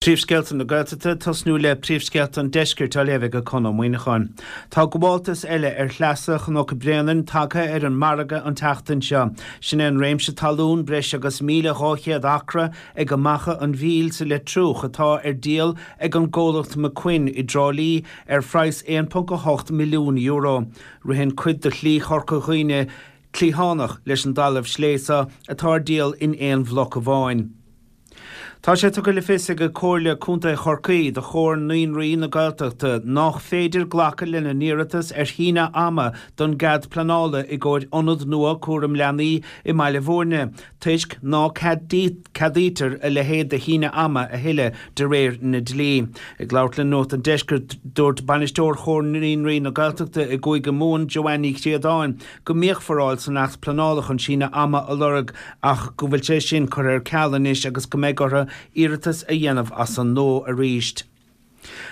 Príomhscéalta na Gaeltachta, tosnú le príomhscéalta an Deiscirt á léamh ag Conn Ó Muíneacháin. Tá gabháltas eile ar shleasa Chnoc Bréanainn tagtha ar an margadh an tseachtain seo. Sin é an réimse talún breis agus 1,200 acra ag Macha an Mhíl sa Leitriúch atá ar díol ag an gcomhlacht McQuinn i dTrá Lí ar phraghas €1.8 milliún. Ritheann cuid de Shlí Chorca Dhuibhne cliathánach leis an dtalamh slé seo atá ar díol in aon bhloc amháin. Tá sé tugtha le fios ag Comhairle Contae Chorcaí do Chomhar Naíonraí na Gaeltachta nách féidir glacadh lena n-iarratas ar shíneadh ama don gcead pleanála i gcomhair ionad nua cúram leanaí i mBaile Bhúirne toisc ná ceadaítear a leithéid de shíneadh ama a thuilleadh de réir na dlí. Ag labhairt le Nuacht an Deiscirt dúirt Bainisteoir Chomhar Naíonraí na Gaeltachta i gCúige Mumhan, Joanne Ní Chríodáin, go mbíodh foráil san Acht Pleanála chun síneadh ama a lorg ach go bhfuil sé sin curtha ar ceal anois agus go mbeidh orthu iarratas a dhéanamh as an nua arís.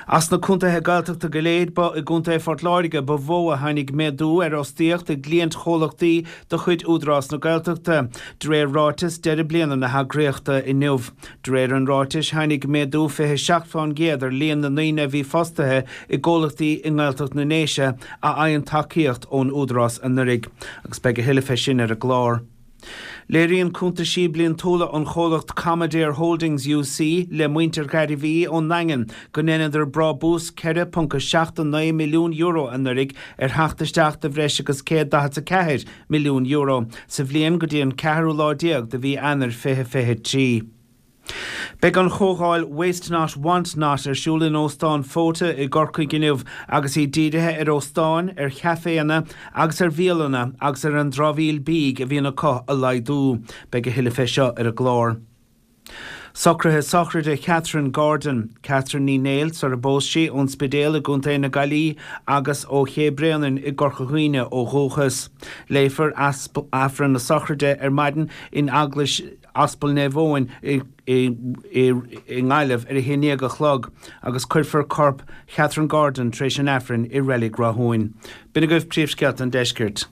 As na contaetha Gaeltachta go léir, ba i gContae Phort Láirge ba mhó a tháinig méadú ar fhostaíocht i gcliantchomhlachtaí de chuid Údarás na Gaeltachta, de réir ráiteas deireadh bliana na heagraíochta inniu. De réir an ráitis, tháinig méadú 27% ar líon na ndaoine a bhí fostaithe i gcomhlachtaí i nGaeltacht na nDéise a fhaigheann tacaíocht ón Údarás anuraidh, agus beidh a thuilleadh fé sin ar an gclár. Léiríonn cuntaisí bliantúla an chomhlacht Commadair Holdings UC le muintir Ghairbhí ón nDaingean go ndeineadar brábús €4.79 milliún anuraidh ar theacht isteach de bhreis agus €144 milliún sa bhliain go dtí an ceathrú lá déag de mhí Eanáir 2023. Beidh an chomhdháil Waste Not Want Not ar siúl in Óstán Fota i gCorcaigh inniu agus í dírithe ar óstáin, ar chaiféanna agus ar bhialanna agus ar an dramhaíl bídh a bhíonn acu a laghdú. Beidh a thuilleadh fé seo ar an gclár. Socruithe sochraide Chatherine Gordon, Catherine Ní Néill sar a bpós sí, ón Spidéal i gContae na Gaillimhe agus ó Ché Bréanainn i gCorca Dhuibhne ó dhúchas. Léifear Aifreann na sochraide ar maidin in Eaglais Aspal Naomh Eoin i nGaillimh ar a haon dhéag a chlog agus cuirfear corp Chatherine Gordon tar éis an Aifrinn i Reilig Rathúin. B'in agaibh príomhscéalta an deiscirt.